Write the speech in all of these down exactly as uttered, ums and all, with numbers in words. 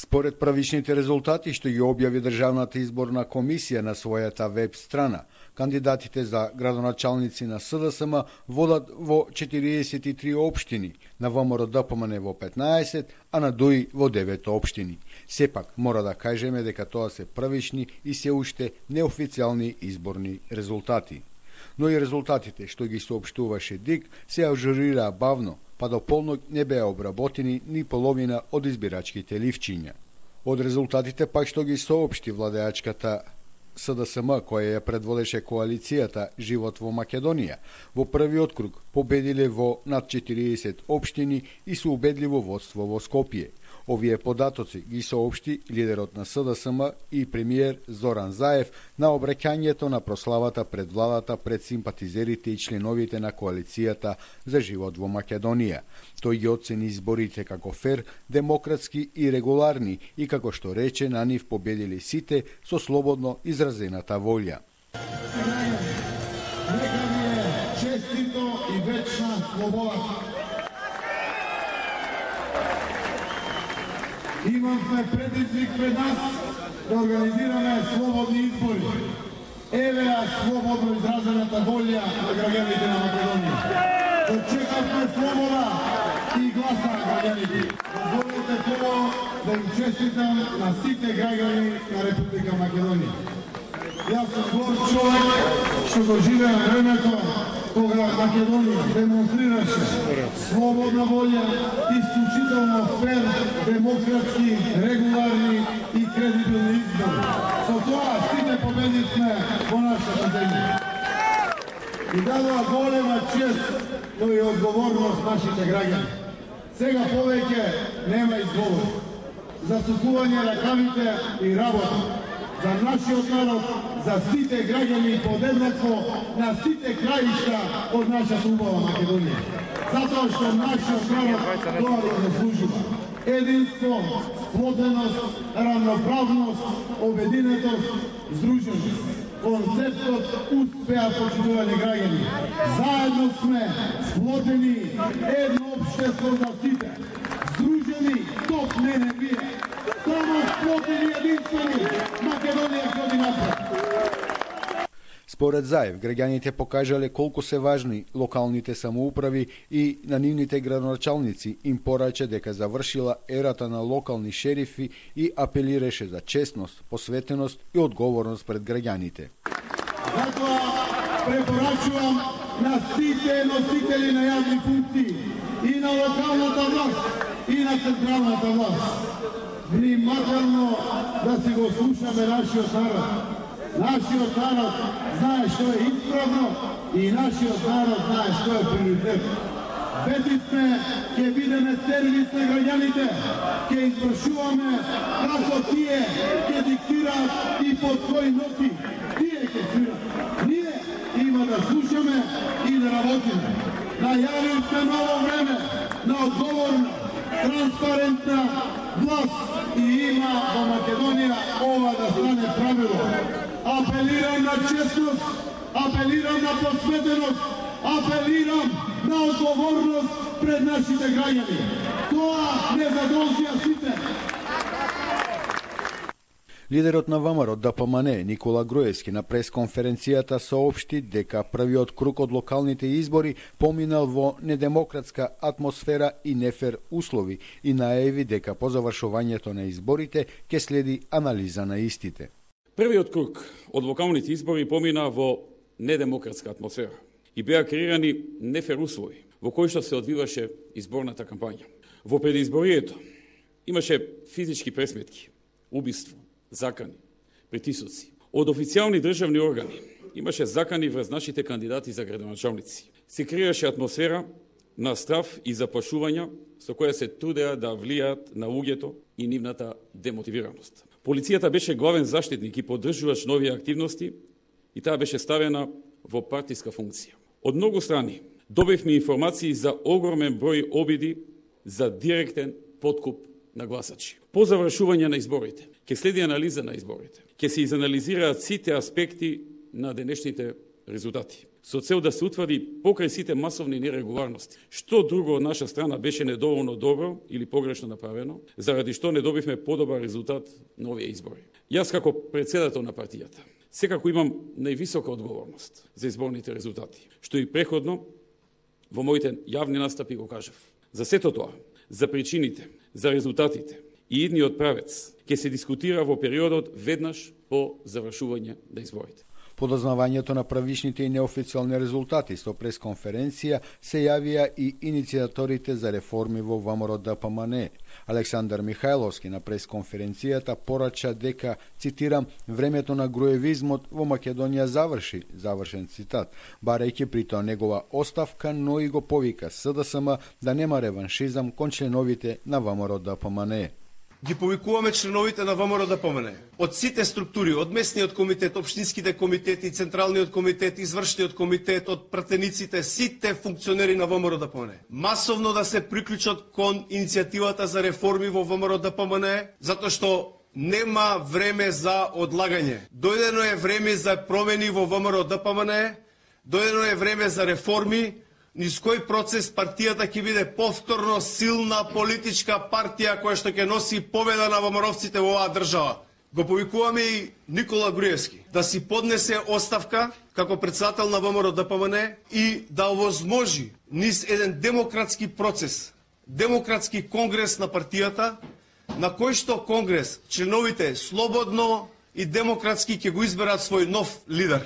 Според правичните резултати што ги објави Државната изборна комисија на својата веб страна, кандидатите за градоначалници на СДСМ водат во четириесет и три општини, на ВМРО-ДПМН во петнаесет, а на ДУИ во девет општини. Сепак, мора да кажеме дека тоа се правични и се уште неофицијални изборни резултати. Но и резултатите што ги соопштуваше ДИК се ажурираа бавно, па до полнок не беа обработени ни половина од избирачките ливчиња. Од резултатите пак што ги соопшти владеачката СДСМ, која ја предводеше коалицијата Живот во Македонија, во првиот круг победиле во над четириесет општини и со убедливо водство во Скопје. Овие податоци ги соопшти лидерот на СДСМ и премиер Зоран Заев на обраќањето на прославата пред владата пред симпатизерите и членовите на коалицијата за Живот во Македонија. Тој ги оцени изборите како фер, демократски и регуларни и како што рече на нив победили сите со слободно изразената волја. Нека ви е честито и вечна слобода. Имавме предизвик пред нас да организираме слободни избори. Еве ја слободно изразената волја на граѓаните на Македонија. Очекавме слобода и гласа на граѓаните. Дозволете прво да им честитам на сите граѓани на Република Македонија. Јас сум горд човек што го живеа времето кога Македонија демонстрираше слободна волја, исклучително фер, демократски, регуларни и кредибилни избори. Со тоа сите победивме во нашата земја. И дадоа голема чест, но и одговорност нашите граѓани. Сега повеќе нема изговор. Засукување ракавите и работа. За нашиот народ, за сите граѓани подеднакво, на сите краишта од нашата убава Македонија. Затоа што нашиот народ тоа го заслужува. Единство, сплотеност, равноправност, обединетост, здруженост. Концептот успеа, почитувани граѓани. Заедно сме сплотени, едно општество за сите. Здружени, топ не не бие. Само сплотени единствени, Македонија ходи напред. Според Заев, граѓаните покажале колку се важни локалните самоуправи и на нивните градоначалници им порача дека завршила ерата на локални шерифи и апелираше за честност, посветеност и одговорност пред граѓаните. Затоа препорачувам на сите носители на јавни функции и на локалната власт и на централната власт внимателно да си го слушаме нашиот народ. Нашиот народ знае што е исправно и нашиот народ знае што е приоритет. Ветивме ќе бидеме сервис на граѓаните, ќе извршуваме како тие ќе диктираат и под кои ноти тие ќе свират. Ние има да слушаме и да работиме. Најавивме ново време на одговорна, транспарентна власт и има во Македонија ова да стане правило. Апелирам на честност, апелирам на посветеност, апелирам на одговорност пред нашите граѓани. Тоа не задолжија сите. Лидерот на ВМРО-ДПМН Никола Груевски на пресконференцијата соопшти дека првиот круг од локалните избори поминал во недемократска атмосфера и нефер услови и најави дека по завршувањето на изборите ќе следи анализа на истите. Првиот круг од локалните избори помина во недемократска атмосфера и беа креирани нефер услови во кои што се одвиваше изборната кампања. Во предизборието имаше физички пресметки, убиство, закани, притисоци. Од официјални државни органи имаше закани врз нашите кандидати за градоначалници. Се креираше атмосфера на страв и заплашувања со која се трудеа да влијаат на луѓето и нивната демотивираност. Полицијата беше главен заштитник и поддржувач нови активности и таа беше ставена во партиска функција. Од многу страни добивме информации за огромен број обиди за директен подкуп на гласачи. По завршување на изборите, ќе следи анализа на изборите, ќе се изанализираат сите аспекти на денешните резултати. со цел да се утврди покрај сите масовни нерегуларности. Што друго од наша страна беше недоволно добро или погрешно направено, заради што не добивме подобар резултат на овие избори. Јас како председател на партијата секако имам највисока одговорност за изборните резултати, што и преходно во моите јавни настапи го кажав. За сето тоа, за причините, за резултатите и идниот правец ќе се дискутира во периодот веднаш по завршување на изборите. По дознавањето на правишните и неофицијални резултати со пресконференција се јавија и иницијаторите за реформи во ВМРО Д П М Н. Александар Михајловски на пресконференцијата порача дека, цитирам, времето на груевизмот во Македонија заврши, завршен цитат, барајќи при тоа негова оставка, но и го повика С Д С М да нема реваншизам кон членовите на ВМРО Д П М Н. Ги повикуваме членовите на ВМРО Д П М Н од сите структури, од местниот комитет, општинските комитети, централниот комитет, извршниот комитет, од пратениците, сите функционери на ВМРО Д П М Н. Масовно да се приклучат кон иницијативата за реформи во ВМРО Д П М Н, затоа што нема време за одлагање. Дојдено е време за промени во ВМРО Д П М Н, дојдено е време за реформи, низ кој процес партијата ќе биде повторно силна политичка партија која што ќе носи победа на ВМРО-вците во оваа држава. Го повикуваме и Никола Груевски да си поднесе оставка како председател на ВМРО Д П М Н и да овозможи низ еден демократски процес, демократски конгрес на партијата, на кој што конгрес членовите слободно и демократски ќе го изберат свој нов лидер.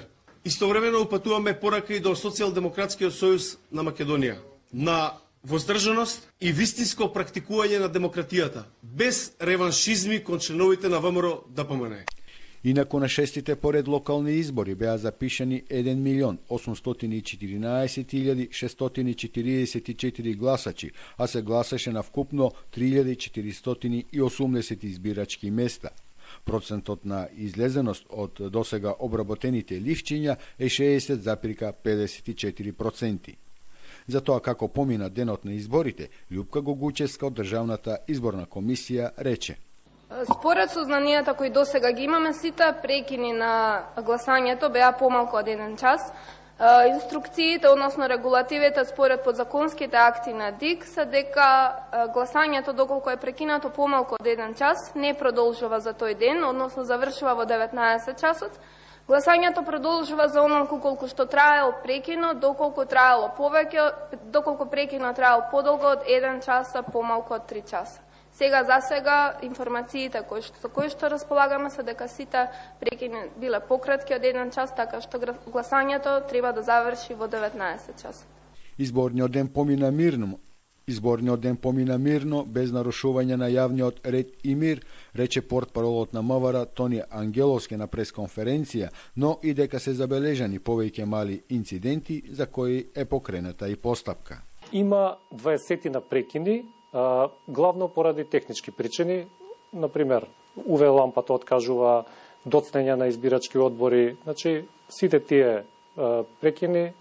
Истовремено упатуваме порака и до Социјалдемократскиот сојуз на Македонија на воздржаност и вистинско практикување на демократијата, без реваншизми кон членовите на ВМРО Д П М Н. Инаку на шестите поред локални избори беа запишани еден милион осумстотини и четиринаесет илјади шестстотини четириесет и четири гласачи, а се гласаше на вкупно три илјади четиристотини и осумдесет избирачки места. Процентот на излезеност од досега обработените ливчиња е шеесет запирка педесет и четири проценти. За тоа како помина денот на изборите, Љупка Гогучевска од Државната изборна комисија рече: Според сознанијата кои досега ги имаме сите, прекини на гласањето беа помалку од еден час. Инструкциите, односно регулативите според подзаконските акти на Д И К се дека гласањето доколку е прекинато помалку од еден час не продолжува за тој ден, односно завршува во деветнаесет часот. Гласањето продолжува за онолку колку што траел прекинот, доколку траело повеќе, доколку прекинот траел подолго од еден час, помалку од три часа. Сега за сега информациите кои што со кои што располагаме се дека сите прекини биле пократки од еден час, така што гласањето треба да заврши во деветнаесет часа. Изборниот ден помина мирно. Изборниот ден помина мирно, без нарушување на јавниот ред и мир, рече портпаролот на М В Р Тони Ангеловски на пресконференција, но и дека се забележани повеќе мали инциденти за кои е покрената и постапка. Има дваесет прекини, главно поради технички причини, например, У В лампата откажува, доцнење на избирачки одбори, значи сите тие прекини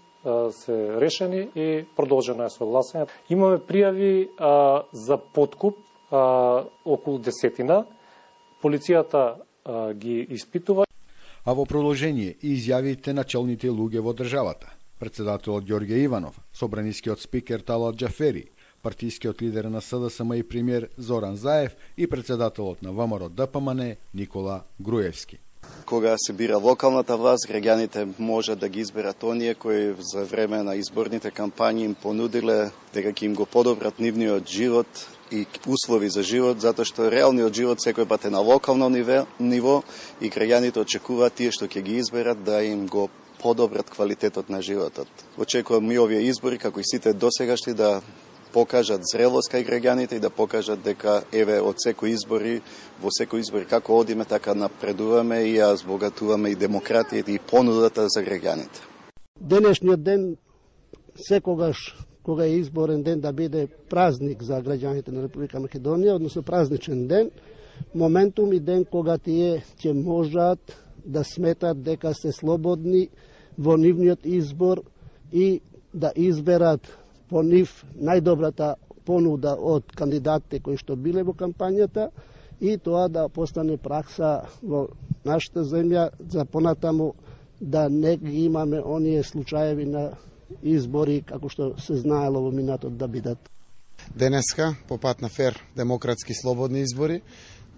се решени и продолжено е со гласање. Имаме пријави а, за подкуп а, околу десетина. Полицијата а, ги испитува. А во продолжение и изјавите на челните луѓе во државата. Председателот Ѓорѓе Иванов, собранискиот спикер Талат Џафери, партискиот лидер на С Д С М и премиер Зоран Заев и председателот на ВМРО Д П М Н Никола Груевски. Кога се бира локалната власт, граѓаните може да ги изберат оние кои за време на изборните кампањи им понудиле дека ќе им го подобрат нивниот живот и услови за живот, затоа што реалниот живот секој пат е на локално ниво и граѓаните очекуваат тие што ќе ги изберат да им го подобрат квалитетот на животот. Очекувам и овие избори, како и сите досегашни, да покажат зрелост кај граѓаните и да покажат дека еве од секој избори, во секој избори како одиме, така напредуваме и ја збогатуваме и демократијата и понудата за граѓаните. Денешниот ден секогаш кога е изборен ден да биде празник за граѓаните на Република Македонија, односно празничен ден, моментум и ден кога тие ќе можат да сметат дека се слободни во нивниот избор и да изберат по нив најдобрата понуда од кандидатите кои што биле во кампањата и тоа да постане пракса во нашата земја за понатаму да не ги имаме оние случаеви на избори како што се знаело во минатот да бидат. Денеска, по пат на фер, демократски, слободни избори,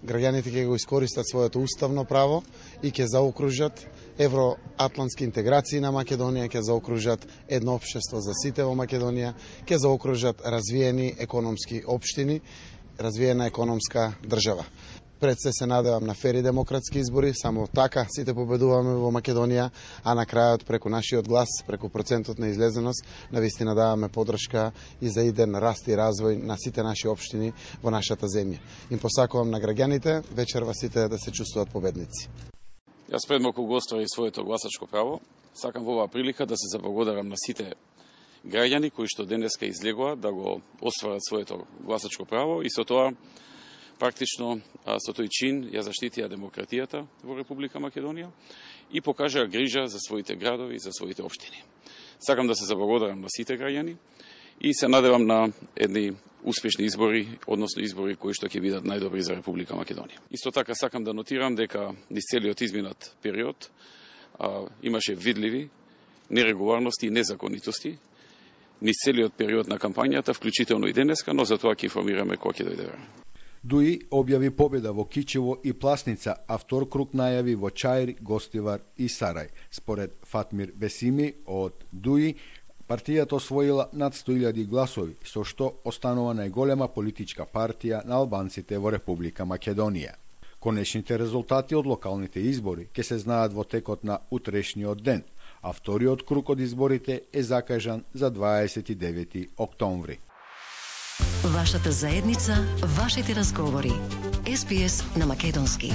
граѓаните ќе го искористат своето уставно право и ќе заокружат евроатлантски интеграции на Македонија, ќе заокружат едно општество за сите во Македонија, ќе заокружат развиени економски општини, развиена економска држава. Пред се се надевам на фери демократски избори, само така сите победуваме во Македонија, а на крајот преку нашиот глас, преку процентот на излезеност, навистина даваме подршка и за иден раст и развој на сите наши општини во нашата земја. Им посакувам на граѓаните вечерва сите да се чувствуваат победници. Јас пред малку го оствари своето гласачко право. Сакам во оваа прилика да се заблагодарам на сите граѓани кои што денеска излегоа да го остварат своето гласачко право и со тоа практично со тој чин ја заштитија демократијата во Република Македонија и покажаа грижа за своите градови и за своите општини. Сакам да се заблагодарам на сите граѓани и се надевам на едни успешни избори, односно избори кои што ќе бидат најдобри за Република Македонија. Исто така сакам да нотирам дека низ целиот изминат период а, имаше видливи нерегуларности и незаконитости низ целиот период на кампањата, вклучително и денеска, но за тоа ќе информираме кога ќе дојде време. Дуи објави победа во Кичево и Пласница, а втор круг најави во Чаир, Гостивар и Сарај. Според Фатмир Бесими од Дуи, партијата освоила над сто илјади гласови, со што останува најголема политичка партија на албанците во Република Македонија. Конечните резултати од локалните избори ќе се знаат во текот на утрешниот ден, а вториот круг од изборите е закажан за дваесет и девети октомври. Вашата заедница, вашите разговори. Ес Би Ес на македонски.